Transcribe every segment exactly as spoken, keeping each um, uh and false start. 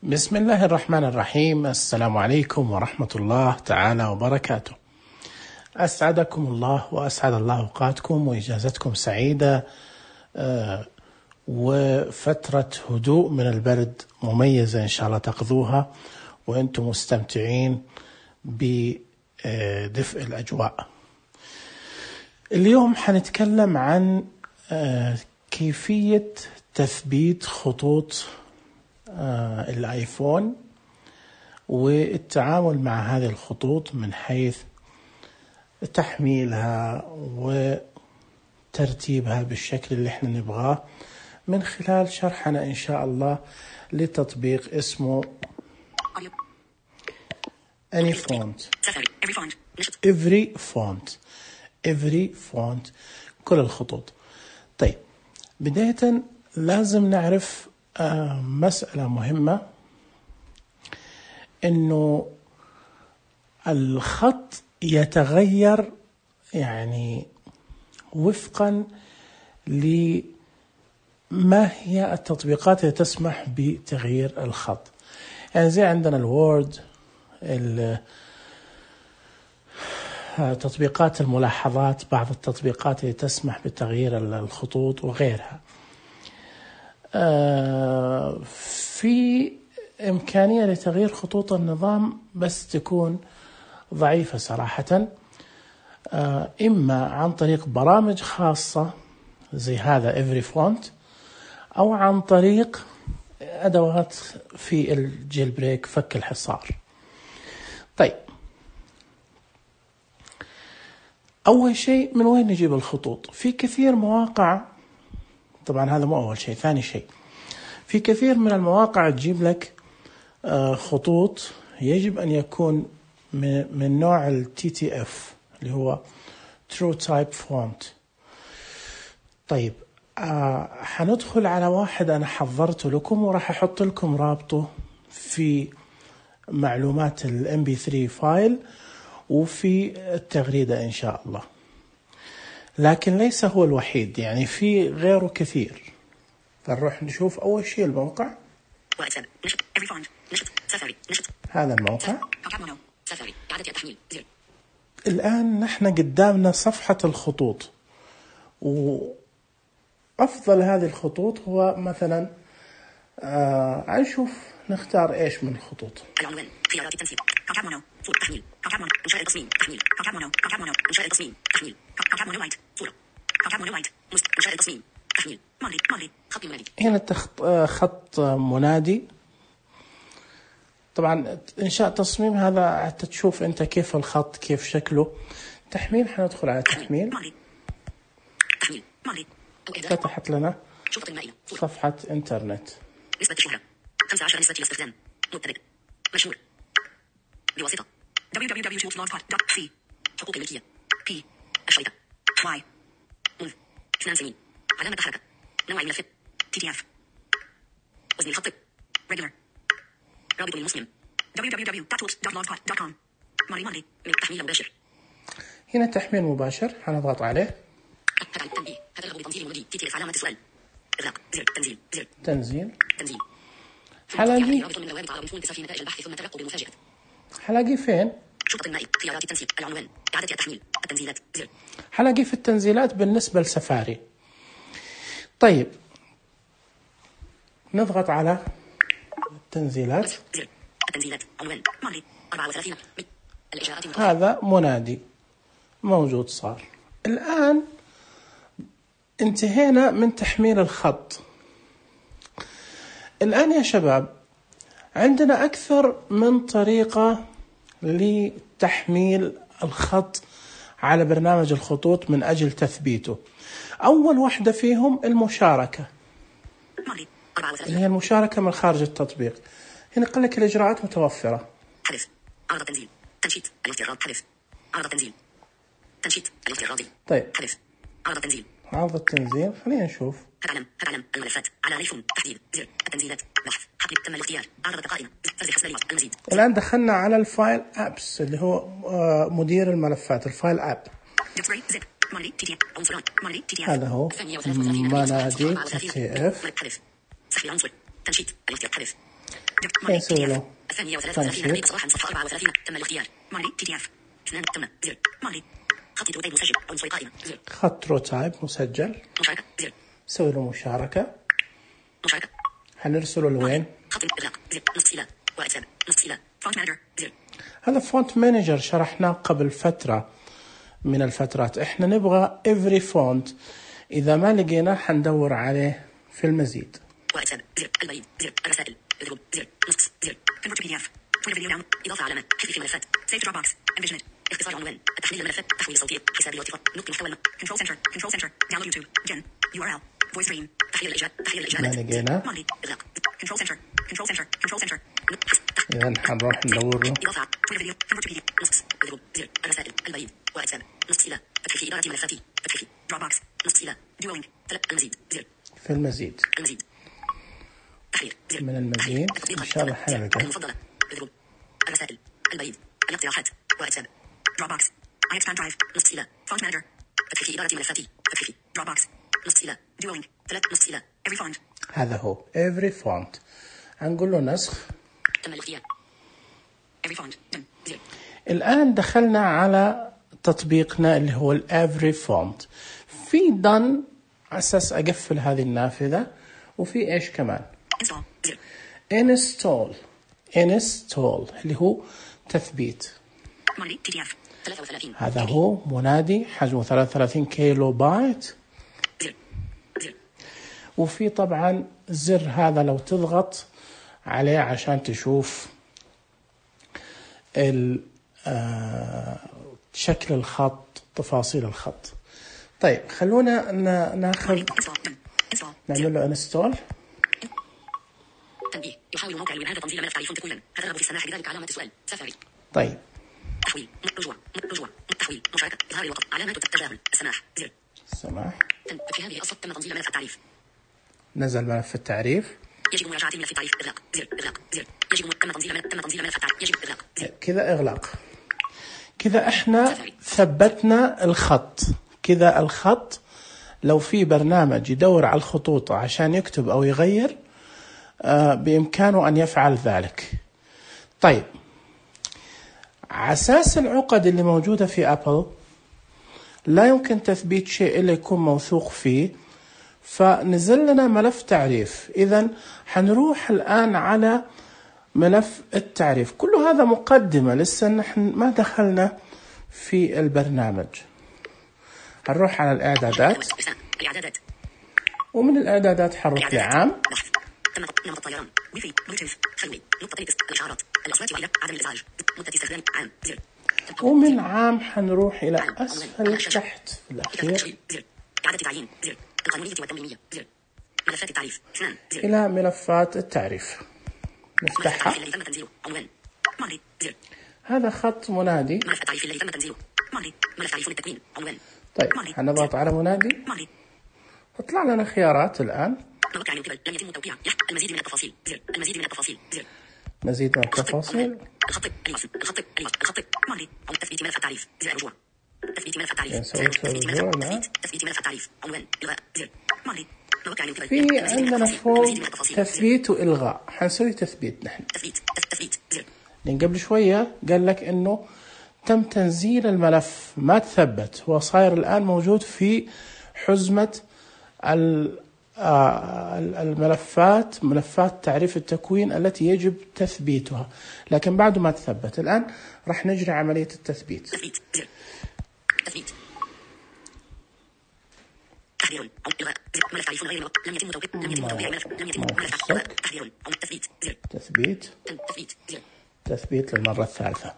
بسم الله الرحمن الرحيم. السلام عليكم ورحمة الله تعالى وبركاته. أسعدكم الله وأسعد الله أوقاتكم وإجازتكم سعيدة، وفترة هدوء من البرد مميزة إن شاء الله تقضوها وأنتم مستمتعين بدفء الأجواء. اليوم حنتكلم عن كيفية تثبيت خطوط الآيفون والتعامل مع هذه الخطوط من حيث تحميلها وترتيبها بالشكل اللي احنا نبغاه من خلال شرحنا إن شاء الله لتطبيق اسمه Any Font Every Font Every Font كل الخطوط. طيب، بداية لازم نعرف آه مسألة مهمة، إنه الخط يتغير يعني وفقا لما هي التطبيقات اللي تسمح بتغيير الخط. يعني زي عندنا الوورد، تطبيقات الملاحظات، بعض التطبيقات اللي تسمح بتغيير الخطوط وغيرها. في إمكانية لتغيير خطوط النظام بس تكون ضعيفة صراحة، إما عن طريق برامج خاصة زي هذا Every Font، أو عن طريق أدوات في الجيل بريك، فك الحصار. طيب، أول شيء من وين نجيب الخطوط؟ في كثير مواقع، طبعا هذا مو أول شيء. ثاني شيء، في كثير من المواقع تجيب لك خطوط يجب أن يكون من نوع ال تي تي إف اللي هو True Type Font. طيب، آه حندخل على واحد أنا حضرته لكم وراح أحط لكم رابطه في معلومات ال إم بي ثري فايل وفي التغريدة إن شاء الله، لكن ليس هو الوحيد، يعني في غيره كثير. فنروح نشوف أول شيء الموقع. هذا الموقع. الآن نحن قدامنا صفحة الخطوط، وأفضل هذه الخطوط هو مثلا آه نشوف نختار إيش من الخطوط. العنوان، خيارات التنسيق، كاكاب مونو، صورة، تحميل، كاكاب مونو، إنشاء التصميم، تحميل، كاكاب مونو، كاكاب مونو، إنشاء التصميم، تحميل، كاكاب مونو لايت، صورة، كاكاب مونو لايت، إنشاء التصميم، تحميل، مالي، مالي، خط منادي. هنا تخط خط منادي. طبعا إنشاء تصميم هذا حتى تشوف أنت كيف الخط كيف شكله. تحميل، حندخل على تحميل. تحميل، مالي. فتحت لنا صفحة إنترنت. نسبة الشهرة خمسة عشر، نسبة الاستخدام مبتدئ مشهور بواسطة دبليو دبليو دبليو دوت بلوجسبوت دوت سي. حقوق الملكية بي الشريطة واي منذ اثنان سنين. علامة حركة نوع الملف تي تي اف. وزن الخط ريجولر. رابط للمصمم دبليو دبليو دبليو دوت بلوجسبوت دوت كوم. ماري ماري من تحميل مباشر. هنا تحميل مباشر، حنضغط عليه. هذا التنبيه، هذا الرغب بتنزيل المنادي تي تي اف. علامة السؤال، إغلاق زر تنزيل زر تنزيل تنزيل. حلاقي حلاقي فين؟ شرطة النائب، خيارات التنسيق، العنوان، إعادة التحميل، التنزيلات زر. حلاقي في التنزيلات بالنسبة لسفاري. طيب، نضغط على التنزيلات. زر التنزيلات، عنوان، مالي، أربعة وثلاثين. الإجراءات هذا منادي موجود صار. الآن انتهينا من تحميل الخط. الآن يا شباب عندنا أكثر من طريقة لتحميل الخط على برنامج الخطوط من أجل تثبيته. أول واحدة فيهم المشاركة، اللي هي المشاركة من خارج التطبيق. هنا قال لك الإجراءات متوفرة. حذف، عرض التنزيل، تنشيط الافتراض، حذف، عرض التنزيل، تنشيط الافتراضي. طيب، حذف، عرض التنزيل، عرض التنزيل. خلينا نشوف. هتعلم هتعلم الملفات على ايفون، تحديد زر التنزيلات، بحث، حقيقة تم الاختيار، عرض قائمة، فرز حسب المزيد. الآن دخلنا على الفايل أبس اللي هو مدير الملفات، الفايل أب. هذا هو منادي تي تي اف. سحب العنصر، تنشيط الاختيار، حذف. مالي نسوي بي دي اف له الثانية وثلاثة وثلاثين دقيقة صباحا صفحة أربعة وثلاثين تم الاختيار مالي بي دي اف اثنان تم زر مالي خط روتين مسجل عنصري قائمة زر خط رو تايب مسجل. مشاركة زر نسوي له مشاركة. مشاركة حنرسله لوين؟ خط إغلاق زر نصف إلى واتساب نصف إلى فونت مانجر زر هذا فونت مانجر شرحناه قبل فترة من الفترات. احنا نبغى every font، إذا ما لقيناه حندور عليه في المزيد. واتساب زر البريد زر الرسائل اضرب زر نص زر كونفرت بي دي اف تويتر فيديو داون إضافة علامة حذف في ملفات سيف دروب بوكس انفيجمنت اختصار عنوان تحويل الملفات تحويل صوتي حسابي واتفاق نقل محتوى كنترول سنتر كنترول سنتر داونلود يوتيوب جن يو ار ال فويس ستريم تحويل الإجابات تحويل ما الإجابات لقينا. مالي إغلاق كنترول سنتر كنترول سنتر كنترول سنتر إذا حنروح ندور له. إضافة تويتر فيديو كونفرت بي دي اف نص اضرب زر الرسائل البريد واتساب نص إلى فتح في إدارة ملفاتي فتح في دروب بوكس نص إلى ديولينج المزيد زر في المزيد. المزيد تحرير زر من المزيد إن شاء الله حنلقى. المفضلة اضرب الرسائل البريد الاقتراحات واتساب دروب بوكس اي اكسباند درايف نص إلى فونت مانجر فتح في إدارة ملفاتي فتح في دروب بوكس نص إلى ديولينج ثلاث نص إلى every font هذا هو every font. هنقول له نسخ. تم الاختيار every font دم زر الآن دخلنا على تطبيقنا اللي هو ال every font. في done على أساس أقفل هذه النافذة، وفي إيش كمان install زر install install اللي هو تثبيت. مالي بي دي اف ثلاثة وثلاثين هذا هو منادي حجمه ثلاثة وثلاثين كيلو بايت. زر زر وفي طبعا زر هذا لو تضغط عليه عشان تشوف شكل الخط، تفاصيل الخط. طيب خلونا ناخذ نعمل له انستول. تنبيه يحاول موقع الويب هذا تنزيل ملف تعريف كلا هذا رغب في السماح بذلك علامة السؤال سفاري. طيب تحويل رجوع رجوع تحويل مشاركة إظهار الوقت علامات التجاهل السماح زر السماح. في هذه القصة تم تنزيل ملف التعريف. نزل ملف التعريف. يجب مراجعة ملف التعريف إغلاق زر إغلاق زر يجب تم تنزيل ملف تم تنزيل ملف التعريف يجب إغلاق زر كذا إغلاق. كذا إحنا ثبتنا الخط. كذا الخط لو في برنامج يدور على الخطوط عشان يكتب أو يغير آه بإمكانه أن يفعل ذلك. طيب عساس العقد اللي موجودة في أبل لا يمكن تثبيت شيء إلا يكون موثوق فيه، فنزل لنا ملف تعريف. إذن حنروح الآن على ملف التعريف. كل هذا مقدمة، لسه نحن ما دخلنا في البرنامج. هنروح على الإعدادات، ومن الإعدادات حنروح لعام. نمط الطيران ويفي بلوتوث خلوي نقطة تكست الإشارات الأصوات وإلى عدم الإزعاج مدة استخدام عام زر. ومن عام حنروح إلى أسفل تحت في الأخير زر إعادة تعيين زر القانونية والتنظيمية زر ملفات التعريف اثنان زر إلى ملفات التعريف نفتحها. الذي تم تنزيله عنوان مالي زر هذا خط منادي. ملف التعريف الذي تم تنزيله مالي ملف تعريف للتكوين عنوان. طيب حنضغط على منادي. مالي تطلع لنا خيارات الآن. موقع من قبل لم يتم توقيع المزيد من التفاصيل زر المزيد من التفاصيل زر مزيد من التفاصيل. الخط الوصل الخط الوصل الخط مالي أو تثبيت ملف التعريف زر الرجوع تثبيت ملف التعريف نسوي تثبيت رجوع. ملف تثبيت ملف التعريف عنوان إلغاء زر مالي موقع من قبل في عندنا فوق تثبيت وإلغاء. حنسوي تثبيت نحن. تثبيت تثبيت زر لأن قبل شوية قال لك إنه تم تنزيل الملف ما تثبت، هو صاير الآن موجود في حزمة الملفات ملفات تعريف التكوين التي يجب تثبيتها، لكن بعده ما تثبت. الآن راح نجري عملية التثبيت. تثبيت زر تثبيت تحرير أو إلغاء زر ملف تعريف غير لم يتم توقيع لم يتم توقيع ملف لم يتم ملف تحرير أو تثبيت زر تثبيت تثبيت زر تثبيت للمرة الثالثة.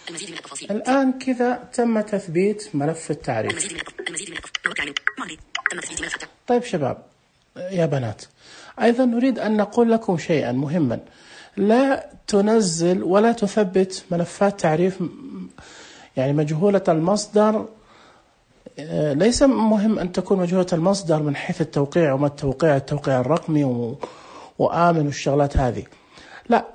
المزيد من التفاصيل. الآن كذا تم تثبيت ملف التعريف. المزيد من المزيد من التفاصيل. مالي تم تثبيت ملف التعريف. طيب شباب يا بنات، أيضا نريد أن نقول لكم شيئا مهما. لا تنزل ولا تثبت ملفات تعريف يعني مجهولة المصدر. ليس مهم أن تكون مجهولة المصدر من حيث التوقيع وما التوقيع التوقيع الرقمي و... وآمن والشغلات هذه، لا،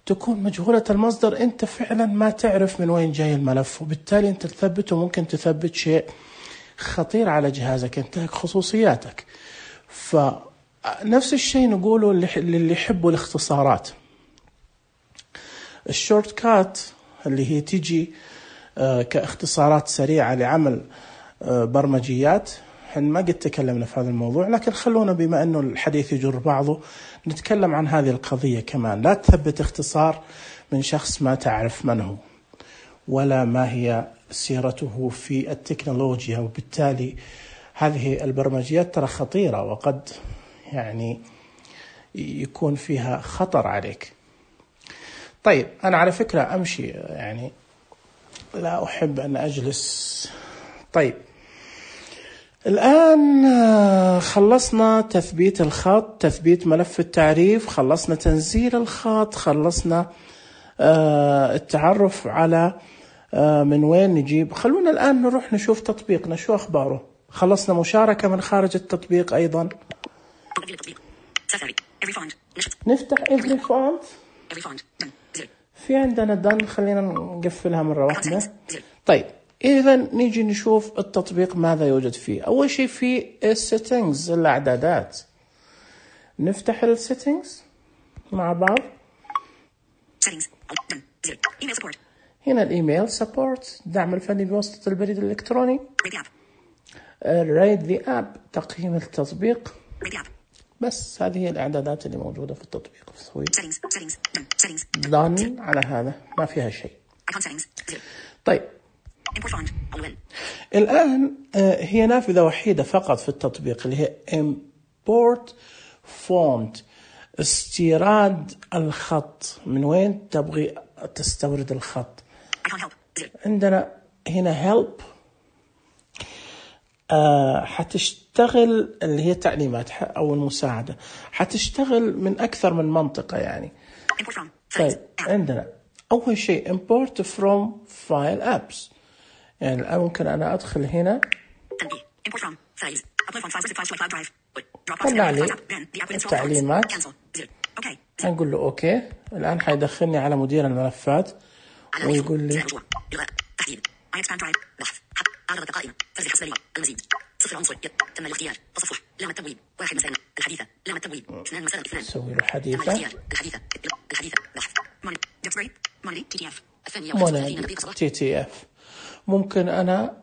تكون مجهولة المصدر. أنت فعلا ما تعرف من وين جاي الملف، وبالتالي أنت تثبته ممكن تثبت شيء خطير على جهازك، ينتهك خصوصياتك. نفس الشيء نقوله للي يحبوا الاختصارات. الشورت كات اللي هي تيجي كاختصارات سريعة لعمل برمجيات، احنا ما قد تكلمنا في هذا الموضوع، لكن خلونا بما انه الحديث يجر بعضه نتكلم عن هذه القضية كمان. لا تثبت اختصار من شخص ما تعرف من هو ولا ما هي سيرته في التكنولوجيا، وبالتالي هذه البرمجيات ترى خطيرة وقد يعني يكون فيها خطر عليك. طيب أنا على فكرة أمشي، يعني لا أحب أن أجلس. طيب الآن خلصنا تثبيت الخط، تثبيت ملف التعريف، خلصنا تنزيل الخط، خلصنا التعرف على من وين نجيب. خلونا الآن نروح نشوف تطبيقنا شو أخباره. خلصنا مشاركة من خارج التطبيق أيضا. نفتح every font. في عندنا done، خلينا نقفلها مرة واحدة. طيب إذا نيجي نشوف التطبيق ماذا يوجد فيه. أول شيء في settings، الإعدادات. نفتح ال settings مع بعض. هنا الإيميل support، دعم الفني بواسطة البريد الإلكتروني. rate the app، تقييم التطبيق. بس هذه هي الإعدادات اللي موجودة في التطبيق. سوي done على هذا، ما فيها شيء. طيب الآن هي نافذة وحيدة فقط في التطبيق اللي هي import font، استيراد الخط. من وين تبغي تستورد الخط؟ عندنا هنا help، آه حتشتغل اللي هي تعليمات أو المساعدة، حتشتغل من أكثر من منطقة يعني. طيب عندنا أول شيء import from file apps، يعني الآن ممكن أنا أدخل هنا طلع لي التعليمات، هنقول له أوكي. الآن حيدخلني على مدير الملفات ويقول لي أعرضت قائمة فرز الحسبانية المزيد صفر عنصر تم الاختيار تصفح لام التبويب واحد مسألة الحديثة لام التبويب اثنان مسألة اثنان سوي له حديثة الحديثة الحديثة بحث موني ديبس موني تي تي اف الثانية موني تي تي اف ممكن أنا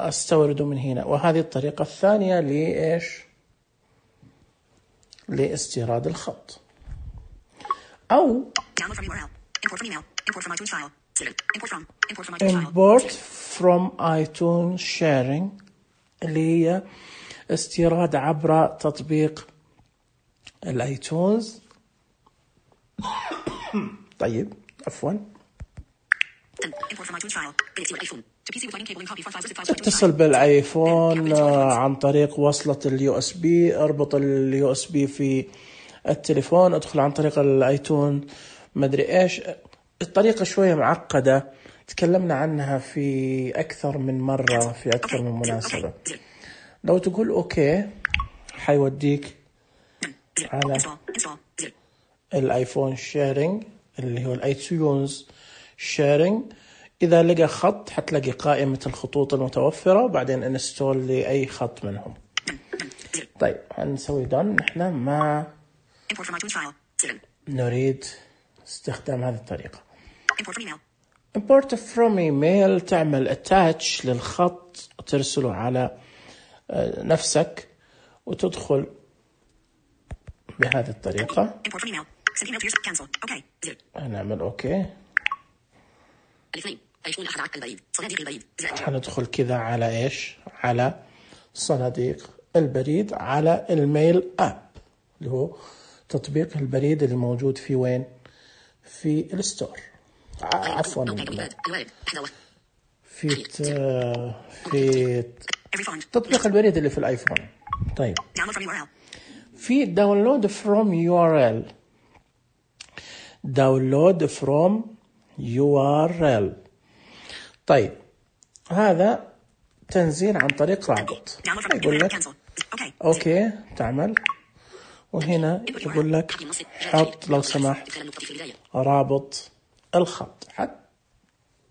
أستورده من هنا. وهذه الطريقة الثانية لإيش؟ لاستيراد الخط. أو import from iTunes sharing اللي هي استيراد عبر تطبيق الايتونز. طيب عفوا اتصل بالايفون عن طريق وصلة اليو اس بي، اربط اليو اس بي في التليفون، ادخل عن طريق الايتون مدري ايش. الطريقة شوية معقدة، تكلمنا عنها في أكثر من مرة في أكثر من مناسبة. لو تقول أوكي حيوديك على الآيفون شيرينج اللي هو الآيتونز شيرينج. إذا لقى خط حتلاقي قائمة الخطوط المتوفرة، بعدين انستول لأي خط منهم. طيب هنسوي دون. نحن ما نريد استخدام هذه الطريقة. import from email، تعمل attach للخط وترسله على نفسك وتدخل بهذه الطريقة. هنعمل أوكي. هندخل كذا على إيش؟ على صناديق البريد، على الميل آب اللي هو تطبيق البريد اللي موجود في وين؟ في الستور. عفوا في في تطبيق البريد اللي في الايفون. طيب في داونلود فروم يو ار ال، داونلود فروم يو ار ال. طيب هذا تنزيل عن طريق رابط. يقول لك اوكي تعمل، وهنا يقول لك حط لو سمحت رابط الخط. حتى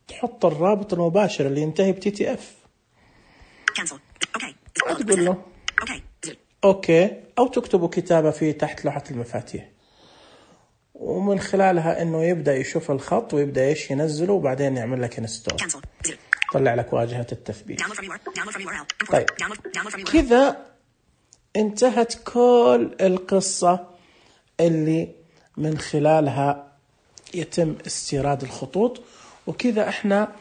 تحط الرابط المباشر اللي ينتهي بتي تي اف. تقول له أوكي، أو تكتبوا كتابة في تحت لوحة المفاتيح، ومن خلالها إنه يبدأ يشوف الخط ويبدأ إيش ينزله، وبعدين يعمل لك انستول، طلع لك واجهة التثبيت. طيب كذا انتهت كل القصة اللي من خلالها يتم استيراد الخطوط، وكذا احنا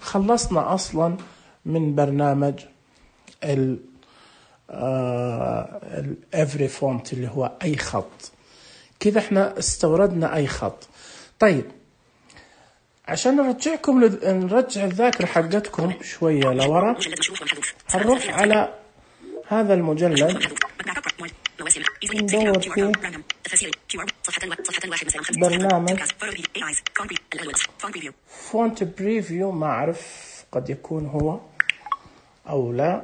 خلصنا أصلا من برنامج ال every font اللي هو أي خط. كذا احنا استوردنا أي خط. طيب عشان نرجعكم لذ... نرجع الذاكرة حقتكم شوية لورا، هنروح على هذا المجلد ندور فيه برنامج فونت بريفيو، ما أعرف قد يكون هو أو لا.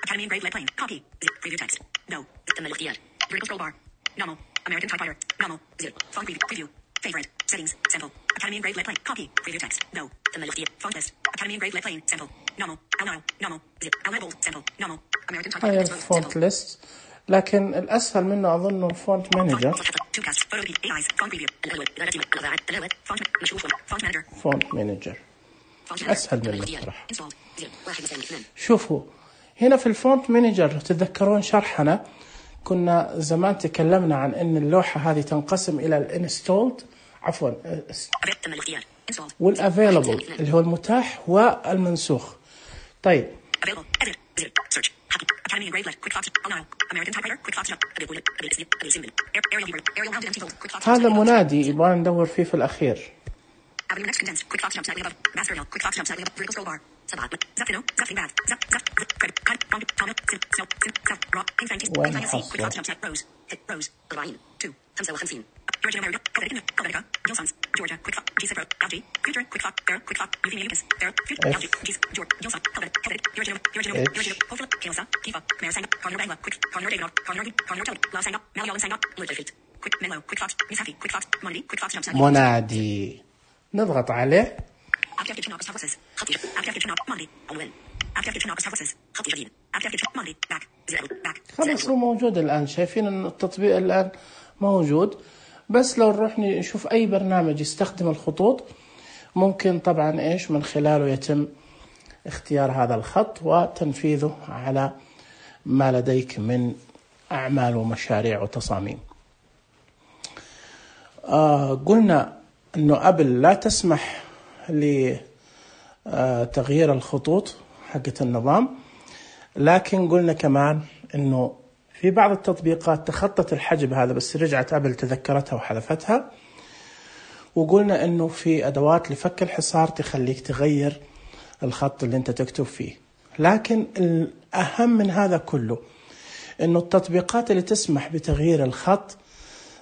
Academy engraved lead plane. Copy. Preview text. No. تم الاختيار. Vertical scroll bar. Normal. American typewriter. Normal. Zero. Font preview. Preview. Favorite. Settings. Sample. Academy engraved lead plane. Copy. Preview text. No. تم الاختيار. Font list. Academy engraved lead plane. Sample. Normal. Alnaro. Normal. Zero. Alnaro. Sample. Normal. American typewriter. هاي الفونت ليست، لكن الأسهل منه أظنه الفونت مانجر. فونت مانجر أسهل منه صراحة. شوفوا هنا في الفونت مانجر، تتذكرون شرحنا كنا زمان تكلمنا عن أن اللوحة هذه تنقسم إلى الانستولد عفوا والافيلبل اللي هو المتاح والمنسوخ. طيب هذا منادي يبغى ندور فيه في الأخير. وين منادي نضغط عليه. خلاص هو موجود الآن، شايفين أن التطبيق الآن موجود. بس لو نروح نشوف أي برنامج يستخدم الخطوط ممكن طبعا إيش من خلاله يتم اختيار هذا الخط وتنفيذه على ما لديك من أعمال ومشاريع وتصاميم. آه قلنا أنه أبل لا تسمح لتغيير الخطوط حقة النظام، لكن قلنا كمان أنه في بعض التطبيقات تخطت الحجب هذا، بس رجعت أبل تذكرتها وحذفتها. وقلنا أنه في أدوات لفك الحصار تخليك تغير الخط اللي أنت تكتب فيه. لكن الأهم من هذا كله أنه التطبيقات اللي تسمح بتغيير الخط،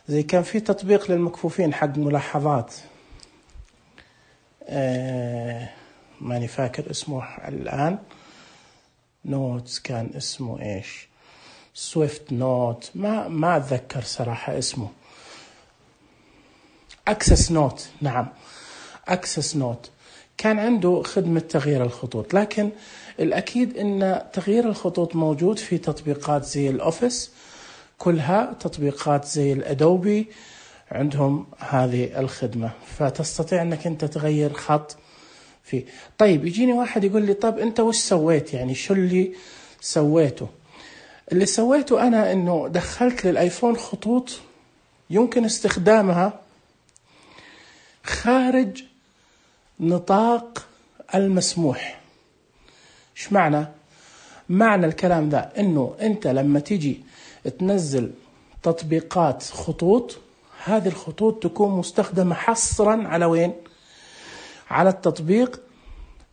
زي كان في تطبيق للمكفوفين حق ملاحظات آه ماني فاكر اسمه الآن، نوتس كان اسمه إيش، سويفت نوت، ما ما أتذكر صراحة اسمه، أكسس نوت، نعم أكسس نوت كان عنده خدمة تغيير الخطوط. لكن الأكيد أن تغيير الخطوط موجود في تطبيقات زي الأوفيس، كلها تطبيقات زي الأدوبي عندهم هذه الخدمة، فتستطيع أنك أنت تغير خط فيه. طيب يجيني واحد يقول لي طب أنت وش سويت، يعني شو اللي سويته؟ اللي سويته أنا أنه دخلت للآيفون خطوط يمكن استخدامها خارج نطاق المسموح. إيش معنى؟ معنى الكلام ذا أنه أنت لما تيجي تنزل تطبيقات خطوط، هذه الخطوط تكون مستخدمة حصرا على وين؟ على التطبيق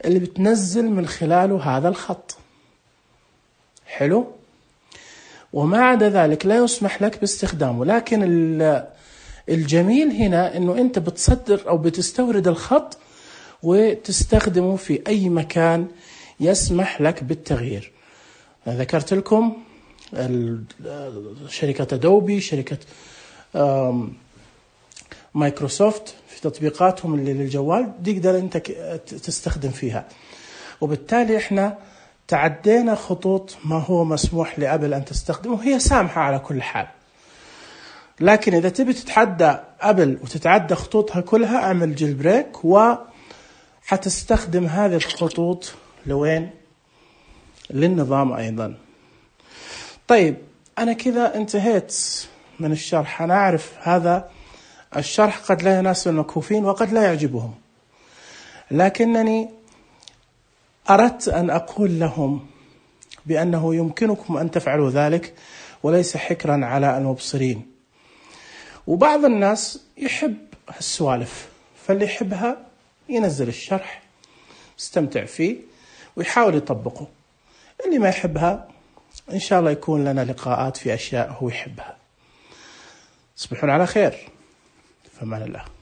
اللي بتنزل من خلاله هذا الخط. حلو؟ وما عدا ذلك لا يسمح لك باستخدامه. لكن الجميل هنا أنه أنت بتصدر أو بتستورد الخط وتستخدمه في أي مكان يسمح لك بالتغيير. ذكرت لكم شركة أدوبي، شركة مايكروسوفت في تطبيقاتهم اللي للجوال تقدر أنت تستخدم فيها. وبالتالي إحنا تعدينا خطوط ما هو مسموح لأبل أن تستخدمه. هي سامحة على كل حال، لكن إذا تبي تتعدى أبل وتتعدى خطوطها كلها اعمل جيل بريك، وحتستخدم هذه الخطوط لوين؟ للنظام أيضا. طيب أنا كذا انتهيت من الشرح. أنا أعرف هذا الشرح قد لا يناسب المكفوفين وقد لا يعجبهم، لكنني أردت أن أقول لهم بأنه يمكنكم أن تفعلوا ذلك وليس حكرا على المبصرين. وبعض الناس يحب السوالف، فاللي يحبها ينزل الشرح يستمتع فيه ويحاول يطبقه. اللي ما يحبها إن شاء الله يكون لنا لقاءات في أشياء هو يحبها. تصبحون على خير، فمان الله.